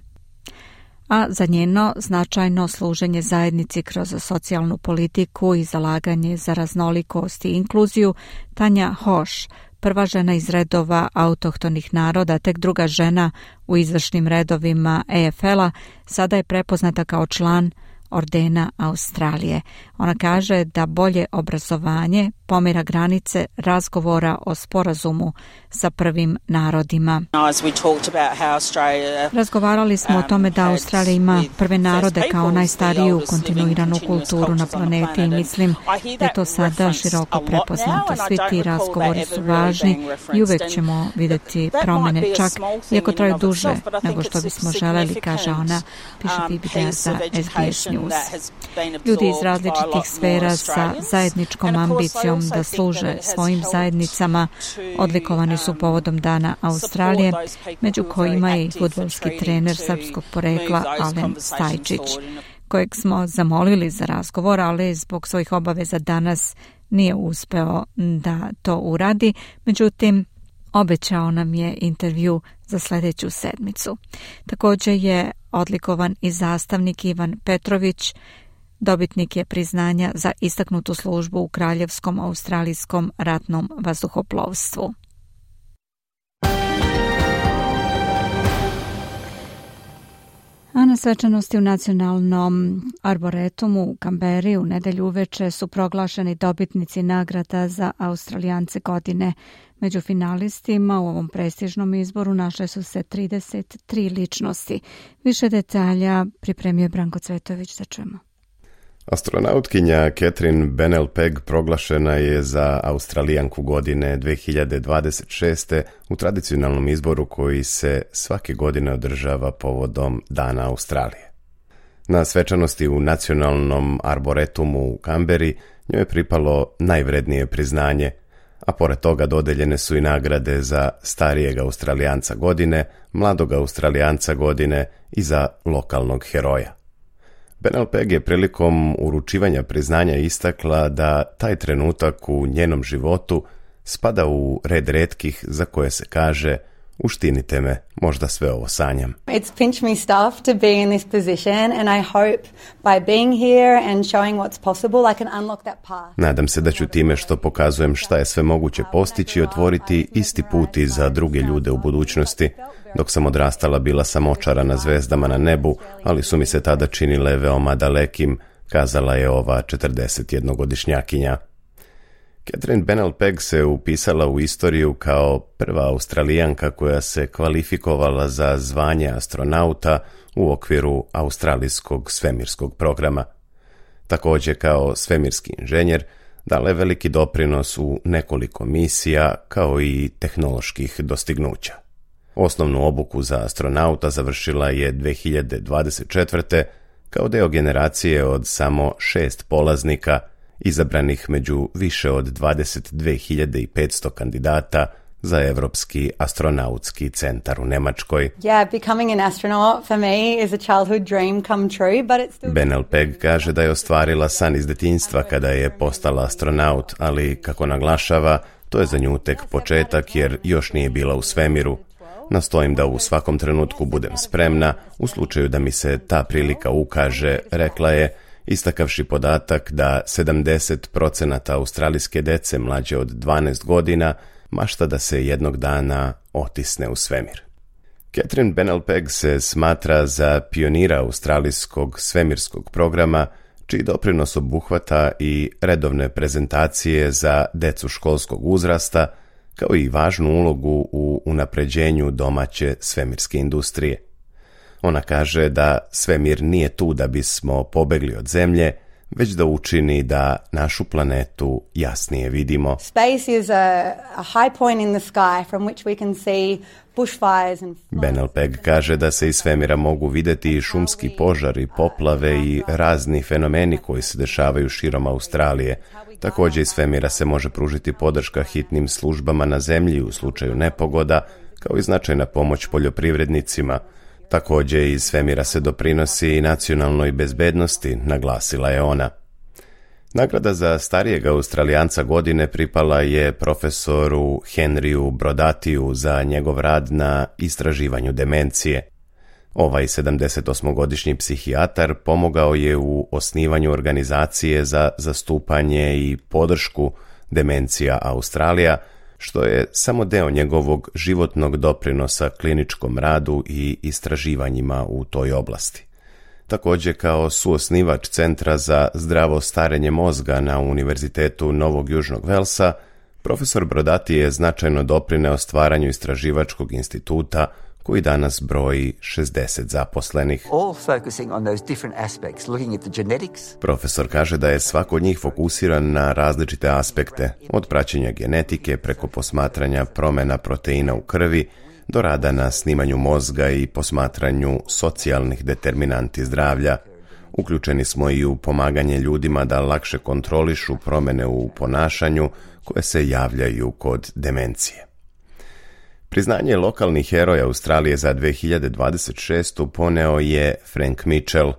A za njeno značajno služenje zajednici kroz socijalnu politiku i zalaganje za raznolikost i inkluziju, Tanja Hoš, prva žena iz redova autohtonih naroda, tek druga žena u izvršnim redovima EFL-a, sada je prepoznata kao član Ordena Australije. Ona kaže da bolje obrazovanje pomira granice razgovora o sporazumu sa prvim narodima. Razgovarali smo o tome da Australija ima prve narode kao najstariju kontinuiranu kulturu na planeti i mislim da je to sada široko prepoznato. Svi ti razgovori su važni i uvek ćemo vidjeti promjene, čak iako traju duže nego što bismo želeli, kaže ona, piše Fibidea za SBS News. Ljudi iz različitih sfera sa zajedničkom ambicijom da služe svojim zajednicama odlikovani su povodom Dana Australije, među kojima je i fudbalski trener srpskog porekla Alen Stajčić, kojeg smo zamolili za razgovor, ali zbog svojih obaveza danas nije uspeo da to uradi. Međutim, obećao nam je intervju za sljedeću sedmicu. Također je odlikovan i zastavnik Ivan Petrović, dobitnik je priznanja za istaknutu službu u Kraljevskom australijskom ratnom vazduhoplovstvu. A na svečanosti u Nacionalnom arboretumu u Kamberi u nedelju uveče su proglašeni dobitnici nagrada za Australijance godine. Među finalistima u ovom prestižnom izboru našle su se 33 ličnosti. Više detalja pripremio je Branko Cvetović, da čujemo. Astronautkinja Catherine Bennell-Pegg proglašena je za Australijanku godine 2026. u tradicionalnom izboru koji se svake godine održava povodom Dana Australije. Na svečanosti u Nacionalnom arboretumu u Kamberi njoj je pripalo najvrednije priznanje, a pored toga dodeljene su i nagrade za starijeg Australijanca godine, mladog Australijanca godine i za lokalnog heroja. Benel Peg je prilikom uručivanja priznanja istakla da taj trenutak u njenom životu spada u red retkih za koje se kaže: uštinite me, možda sve ovo sanjam. It's pinch me stuff to be in this position and I hope by being here and showing what's possible I can unlock that path. Nadam se da ću time što pokazujem šta je sve moguće postići otvoriti isti put i za druge ljude u budućnosti. Dok sam odrastala bila sam očarana zvezdama na nebu, ali su mi se tada činile veoma dalekim, kazala je ova 41-godišnjakinja. Catherine Benel Peg se upisala u istoriju kao prva Australijanka koja se kvalifikovala za zvanje astronauta u okviru australijskog svemirskog programa. Također kao svemirski inženjer dala je veliki doprinos u nekoliko misija kao i tehnoloških dostignuća. Osnovnu obuku za astronauta završila je 2024. kao deo generacije od samo 6 polaznika izabranih među više od 22.500 kandidata za Evropski astronautski centar u Nemačkoj. Becoming an astronaut for me is a childhood dream come true, but it's still... Benel Peg kaže da je ostvarila san iz detinjstva kada je postala astronaut, ali kako naglašava, to je za nju tek početak jer još nije bila u svemiru. Nastojim da u svakom trenutku budem spremna, u slučaju da mi se ta prilika ukaže, rekla je, istakavši podatak da 70% australijske dece mlađe od 12 godina mašta da se jednog dana otisne u svemir. Catherine Benel Peg se smatra za pionira australijskog svemirskog programa, čiji doprinos obuhvata i redovne prezentacije za decu školskog uzrasta, kao i važnu ulogu u unapređenju domaće svemirske industrije. Ona kaže da svemir nije tu da bismo pobegli od zemlje, već da učini da našu planetu jasnije vidimo. Space is a high point in the sky from which we can see bushfires and floods. Benel Peg kaže da se iz svemira mogu vidjeti i šumski požari, poplave i razni fenomeni koji se dešavaju širom Australije. Također iz svemira se može pružiti podrška hitnim službama na zemlji u slučaju nepogoda, kao i značajna pomoć poljoprivrednicima. Također iz svemira se doprinosi i nacionalnoj bezbednosti, naglasila je ona. Nagrada za starijeg Australijanca godine pripala je profesoru Henryu Brodatiju za njegov rad na istraživanju demencije. Ovaj 78-godišnji psihijatar pomogao je u osnivanju organizacije za zastupanje i podršku Demencija Australija, što je samo deo njegovog životnog doprinosa kliničkom radu i istraživanjima u toj oblasti. Također kao suosnivač Centra za zdravo starenje mozga na Univerzitetu Novog Južnog Velsa, profesor Brodati je značajno doprineo stvaranju istraživačkog instituta koji danas broji 60 zaposlenih. Profesor kaže da je svako od njih fokusiran na različite aspekte, od praćenja genetike preko posmatranja promjena proteina u krvi, do rada na snimanju mozga i posmatranju socijalnih determinanti zdravlja. Uključeni smo i u pomaganje ljudima da lakše kontrolišu promjene u ponašanju koje se javljaju kod demencije. Priznanje lokalnih heroja Australije za 2026. poneo je Frank Mitchell,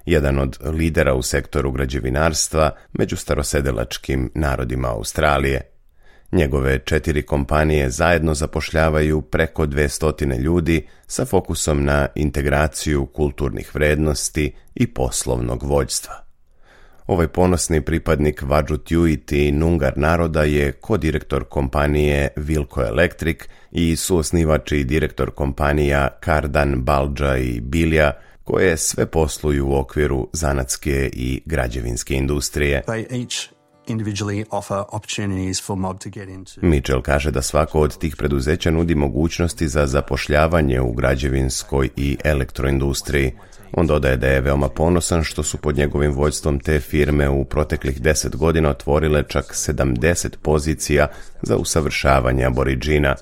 jedan od lidera u sektoru građevinarstva među starosedelačkim narodima Australije. Njegove 4 kompanije zajedno zapošljavaju preko 200 ljudi sa fokusom na integraciju kulturnih vrednosti i poslovnog vođstva. Ovaj ponosni pripadnik Wadjuk i Noongar naroda je kodirektor kompanije Wilco Electric i suosnivač i direktor kompanija Cardan, Balja i Bilja, koje sve posluju u okviru zanatske i građevinske industrije. Mitchell kaže da svako od tih preduzeća nudi mogućnosti za zapošljavanje u građevinskoj i elektroindustriji. On dodaje da je veoma ponosan što su pod njegovim vođstvom te firme u proteklih 10 godina otvorile čak 70 pozicija za usavršavanje aboriđina.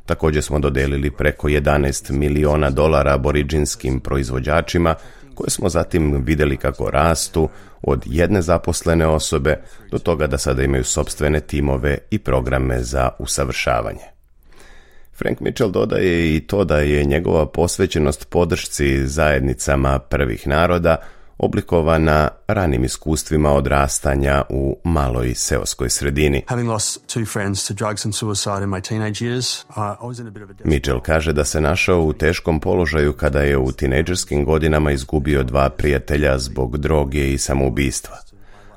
Također smo dodelili preko $11 miliona aboriđinskim proizvođačima koje smo zatim vidjeli kako rastu od jedne zaposlene osobe do toga da sada imaju sopstvene timove i programe za usavršavanje. Frank Mitchell dodaje i to da je njegova posvećenost podršci zajednicama prvih naroda oblikovana ranim iskustvima odrastanja u maloj seoskoj sredini. Mitchell kaže da se našao u teškom položaju kada je u tinejdžerskim godinama izgubio 2 prijatelja zbog droge i samoubistva.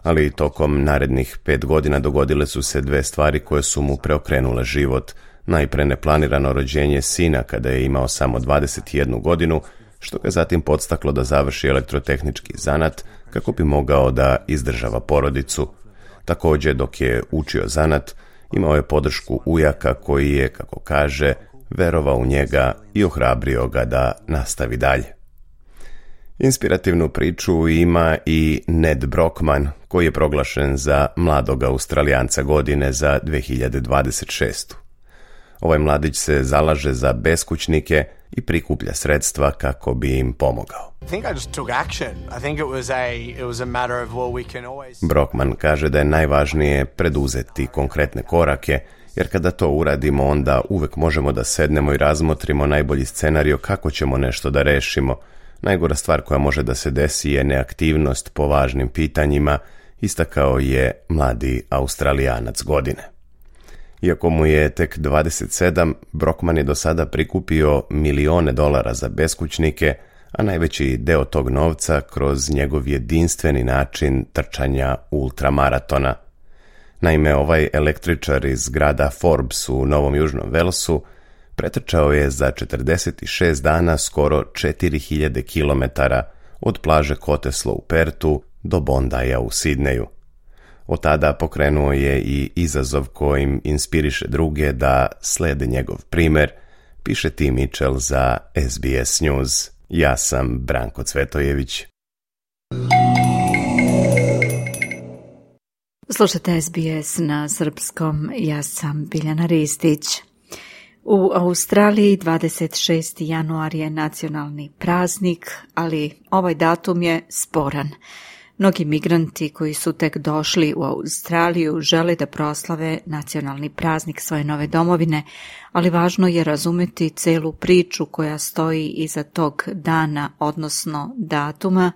Ali tokom narednih 5 godina dogodile su se 2 stvari koje su mu preokrenule život. Najpre neplanirano rođenje sina kada je imao samo 21 godinu, što ga zatim podstaklo da završi elektrotehnički zanat kako bi mogao da izdržava porodicu. Također, dok je učio zanat, imao je podršku ujaka koji je, kako kaže, verovao u njega i ohrabrio ga da nastavi dalje. Inspirativnu priču ima i Ned Brockman, koji je proglašen za mladog Australijanca godine za 2026. Ovaj mladić se zalaže za beskućnike i prikuplja sredstva kako bi im pomogao. Brockman kaže da je najvažnije preduzeti konkretne korake, jer kada to uradimo, onda uvek možemo da sednemo i razmotrimo najbolji scenario kako ćemo nešto da rešimo. Najgora stvar koja može da se desi je neaktivnost po važnim pitanjima, istakao je mladi Australijanac godine. Iako mu je tek 27, Brockman je do sada prikupio milione dolara za beskućnike, a najveći deo tog novca kroz njegov jedinstveni način trčanja ultramaratona. Naime, ovaj električar iz grada Forbes u Novom Južnom Velsu pretrčao je za 46 dana skoro 4000 km od plaže Cottesloe u Pertu do Bondaya u Sidneju. Od tada pokrenuo je i izazov kojim inspiriše druge da slede njegov primer, piše Tim Mitchell za SBS News. Ja sam Branko Cvetojević. Slušate SBS na srpskom, ja sam Biljana Ristić. U Australiji 26. januar je nacionalni praznik, ali ovaj datum je sporan. Mnogi migranti koji su tek došli u Australiju žele da proslave nacionalni praznik svoje nove domovine, ali važno je razumeti celu priču koja stoji iza tog dana, odnosno datuma,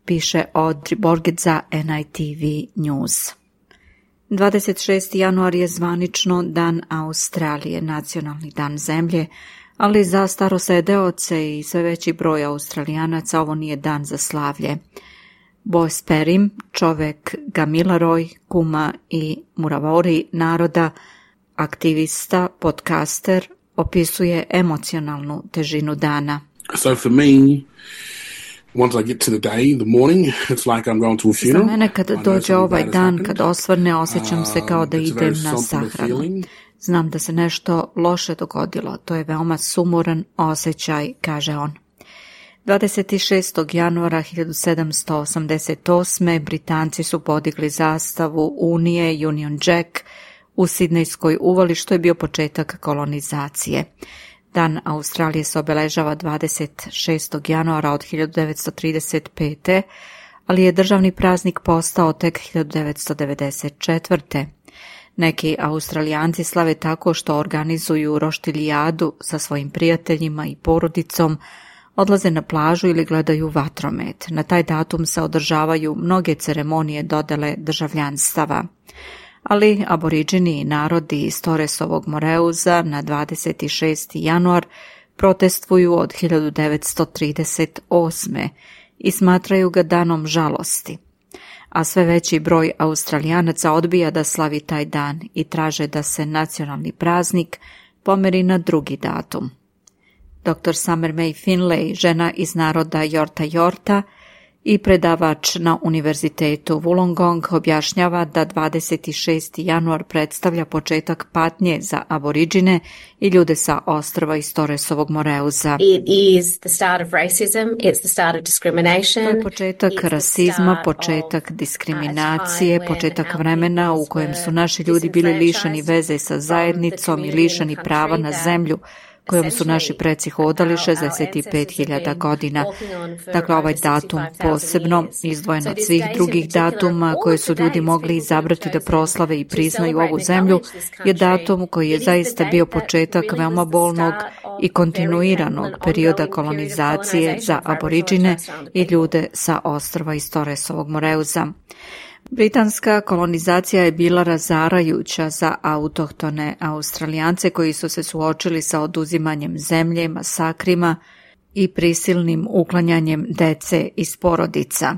piše Audrey Borget za NITV News. 26. januar je zvanično Dan Australije, nacionalni dan zemlje, ali za starosedeoce i sve veći broj Australijanaca ovo nije dan za slavlje. Boss Perim, čovek Gamilaroj, kuma i Muravori naroda, aktivista, podcaster, opisuje emocionalnu težinu dana. So for me, once I get to the day, the morning, it's like I'm going to a funeral. Za mene kada dođe ovaj dan, kad osvrne, osjećam se kao da idem na sahranu. Znam da se nešto loše dogodilo, to je veoma sumoran osjećaj, kaže on. 26. januara 1788. Britanci su podigli zastavu Unije Union Jack u Sidnejskoj uvali, što je bio početak kolonizacije. Dan Australije se obeležava 26. januara od 1935. ali je državni praznik postao tek 1994. Neki Australijanci slave tako što organizuju roštiljadu sa svojim prijateljima i porodicom, odlaze na plažu ili gledaju vatromet. Na taj datum se održavaju mnoge ceremonije dodele državljanstava. Ali aboriđini i narodi iz Torresovog Moreuza na 26. januar protestvuju od 1938. i smatraju ga danom žalosti. A sve veći broj Australijanaca odbija da slavi taj dan i traže da se nacionalni praznik pomeri na drugi datum. Dr. Summer May Finlay, žena iz naroda Yorta Yorta i predavač na univerzitetu Wollongong, objašnjava da 26. januar predstavlja početak patnje za aboriđine i ljude sa ostrva iz Torresovog Moreuza. It is the start of racism, it's the start of discrimination. To je početak rasizma, početak diskriminacije, početak vremena u kojem su naši ljudi bili lišeni veze sa zajednicom i lišeni prava na zemlju, kojom su naši preci hodali 65.000 godina. Dakle, ovaj datum posebno, izdvojen od svih drugih datuma koje su ljudi mogli izabrati da proslave i priznaju ovu zemlju, je datum koji je zaista bio početak veoma bolnog i kontinuiranog perioda kolonizacije za aboriđine i ljude sa ostrva iz Torresovog Moreuza. Britanska kolonizacija je bila razarajuća za autohtone Australijance koji su se suočili sa oduzimanjem zemlje, masakrima i prisilnim uklanjanjem dece iz porodica.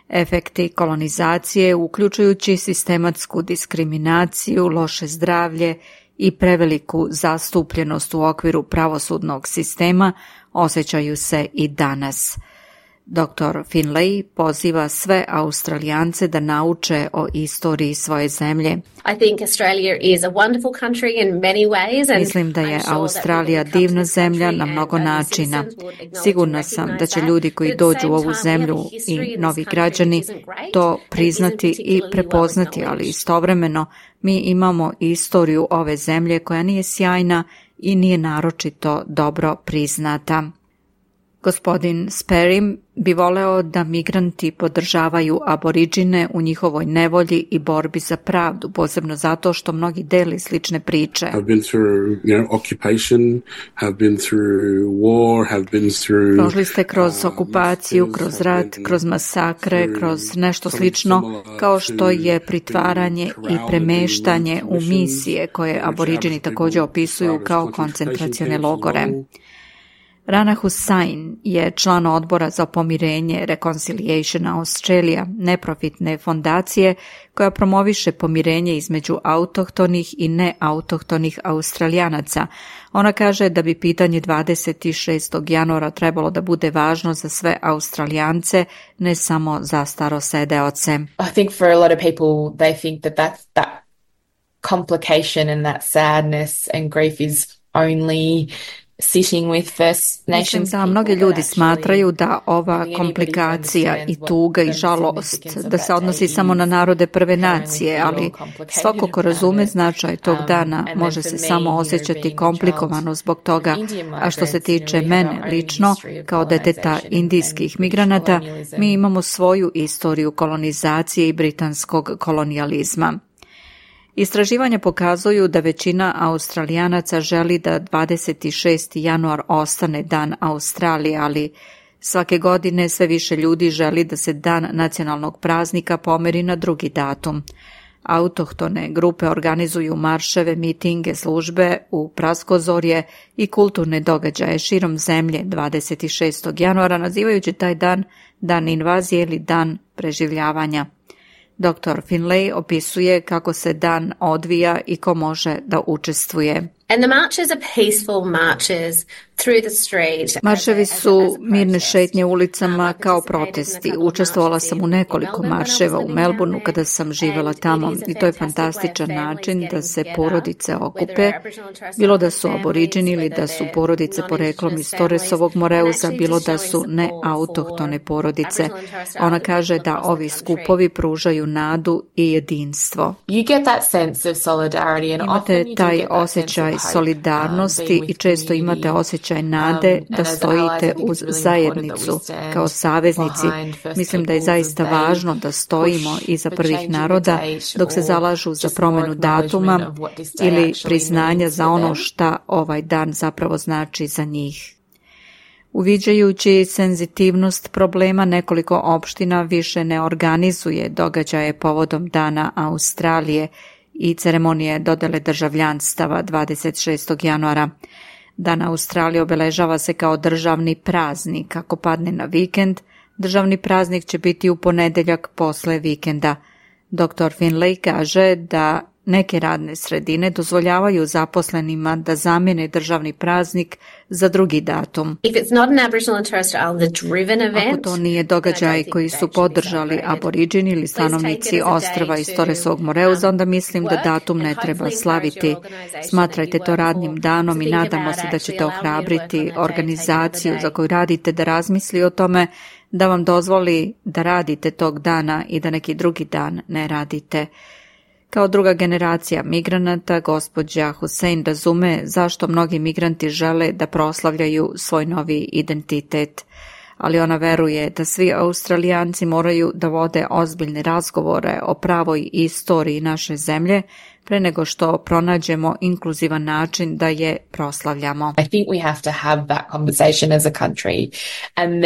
Efekti kolonizacije, uključujući sistematsku diskriminaciju, loše zdravlje i preveliku zastupljenost u okviru pravosudnog sistema, osjećaju se i danas. Dr. Finlay poziva sve Australijance da nauče o istoriji svoje zemlje. Mislim da je Australija divna zemlja na mnogo načina. Sigurna sam da će ljudi koji dođu u ovu zemlju i novi građani to priznati i prepoznati, ali istovremeno mi imamo istoriju ove zemlje koja nije sjajna i nije naročito dobro priznata. Gospodin Sperry bi voleo da migranti podržavaju aboriđine u njihovoj nevolji i borbi za pravdu, posebno zato što mnogi deli slične priče. Prošli ste kroz okupaciju, kroz rat, kroz masakre, kroz nešto slično, kao što je pritvaranje i premeštanje u misije koje aboriđini također opisuju kao koncentracione logore. Rana Hussain je član odbora za pomirenje Reconciliation Australia, neprofitne fondacije koja promoviše pomirenje između autohtonih i neautohtonih Australijanaca. Ona kaže da bi pitanje 26. januara trebalo da bude važno za sve Australijance, ne samo za starosedeoce. I think for a lot of people they think that complication and that sadness and grief is only Mislim da mnogi ljudi smatraju da ova komplikacija i tuga i žalost da se odnosi samo na narode prve nacije, ali svako ko razume značaj tog dana može se samo osjećati komplikovano zbog toga, a što se tiče mene lično, kao deteta indijskih migranata, mi imamo svoju istoriju kolonizacije i britanskog kolonijalizma. Istraživanja pokazuju da većina Australijanaca želi da 26. januar ostane dan Australije, ali svake godine sve više ljudi želi da se dan nacionalnog praznika pomeri na drugi datum. Autohtone grupe organizuju marševe, mitinge, službe u praskozorje i kulturne događaje širom zemlje 26. januara, nazivajući taj dan dan invazije ili dan preživljavanja. Dr. Finlay opisuje kako se dan odvija i ko može da učestvuje. Marševi su mirne šetnje ulicama kao protesti. Učestvovala sam u nekoliko marševa u Melbourneu kada sam živjela tamo i to je fantastičan način da se porodice okupe, bilo da su aboriđini ili da su porodice poreklom iz Torresovog Moreuza, bilo da su neautohtone porodice. Ona kaže da ovi skupovi pružaju nadu i jedinstvo. Imate taj osjećaj solidarnosti i često imate osjećaj nade da stojite uz zajednicu kao saveznici. Mislim da je zaista važno da stojimo iza prvih naroda dok se zalažu za promjenu datuma ili priznanja za ono šta ovaj dan zapravo znači za njih. Uviđajući senzitivnost problema, nekoliko opština više ne organizuje događaje povodom Dana Australije i ceremonije dodele državljanstava 26. januara. Dan Australije obeležava se kao državni praznik. Ako padne na vikend, državni praznik će biti u ponedeljak posle vikenda. Dr. Finlay kaže da neke radne sredine dozvoljavaju zaposlenima da zamijene državni praznik za drugi datum. Ako to nije događaj koji su podržali aboriđini ili stanovnici ostrva iz Torresovog Moreuza, onda mislim da datum ne treba slaviti. Smatrajte to radnim danom i nadamo se da ćete ohrabriti organizaciju za koju radite da razmisli o tome, da vam dozvoli da radite tog dana i da neki drugi dan ne radite. Kao druga generacija migranata, gospođa Hussein razume zašto mnogi migranti žele da proslavljaju svoj novi identitet, ali ona veruje da svi Australijanci moraju da vode ozbiljne razgovore o pravoj istoriji naše zemlje pre nego što pronađemo inkluzivan način da je proslavljamo. I think we have to have that conversation as a country and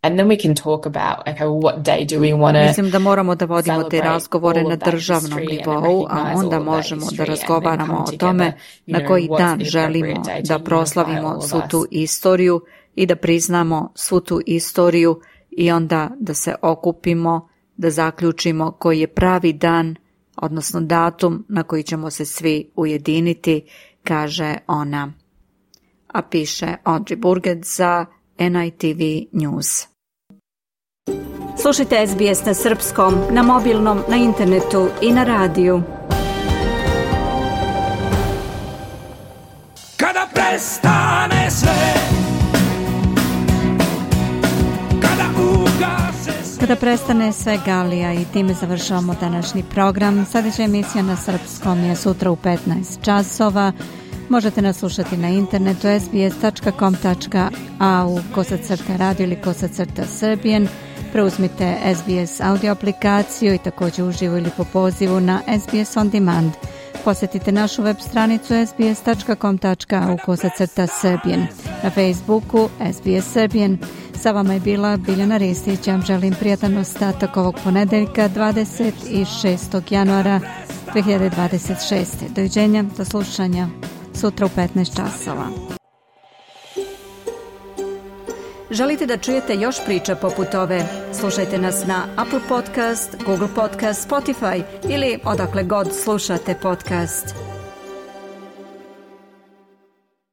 then we can talk about okay, what day do we want to. Mislim da moramo da vodimo te razgovore na državnom nivou, a onda možemo da razgovaramo o tome na koji dan želimo da proslavimo svu tu istoriju i da priznamo svu tu istoriju i onda da se okupimo, da zaključimo koji je pravi dan, odnosno datum na koji ćemo se svi ujediniti, kaže ona. A piše Audrey Burgett za NITV News. Slušajte SBS na srpskom, na mobilnom, na internetu i na radiju. Kada prestane sve, Kada prestane sve, Galija, i time završavamo današnji program. Sljedeća emisija na srpskom je sutra u 15 časova. Možete nas slušati na internetu sbs.com.au/radio ili /Serbian. Preuzmite SBS audio aplikaciju i također uživo ili po pozivu na SBS On Demand. Posjetite našu web stranicu sbs.com.au/Serbian. Na Facebooku SBS Serbian. Sa vama je bila Biljana Ristić. Ja vam želim prijatan ostatak ovog ponedeljka 26. januara 2026. Doviđenja, do slušanja sutra u 15 časova. Želite da čujete još priča poput ove? Slušajte nas na Apple Podcast, Google Podcast, Spotify ili odakle god slušate podcast.